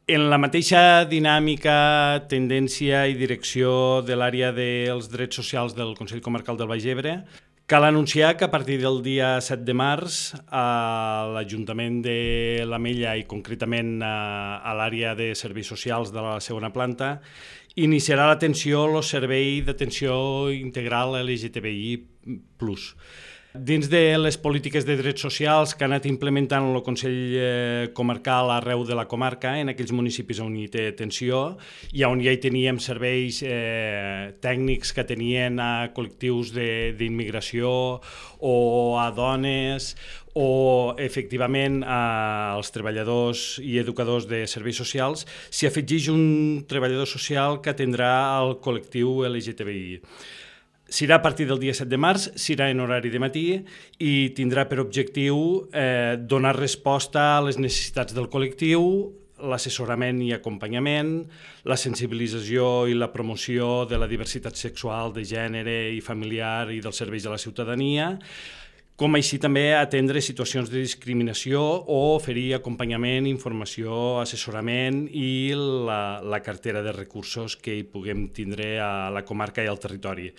En la mateixa dinàmica, tendència i direcció de l'àrea dels drets socials del Consell Comarcal del Baix Ebre, cal anunciar que a partir del dia 7 de març l'Ajuntament de l'Ametlla i concretament a l'àrea de serveis socials de la segona planta iniciarà l'atenció al servei d'atenció integral LGTBI+. Dins de les polítiques de drets socials que ha anat implementant el Consell Comarcal arreu de la comarca, en aquells municipis on hi té atenció i on ja hi teníem serveis tècnics que tenien a col·lectius d'immigració o a dones o efectivament als treballadors i educadors de serveis socials, s'hi afegeix un treballador social que atendrà al col·lectiu LGTBI. Serà a partir del dia 7 de març, serà en horari de matí i tindrà per objectiu donar resposta a les necessitats del col·lectiu, l'assessorament i acompanyament, la sensibilització i la promoció de la diversitat sexual, de gènere i familiar i dels serveis a la ciutadania, com així també atendre situacions de discriminació o oferir acompanyament, informació, assessorament i la cartera de recursos que hi puguem tindre a la comarca i al territori.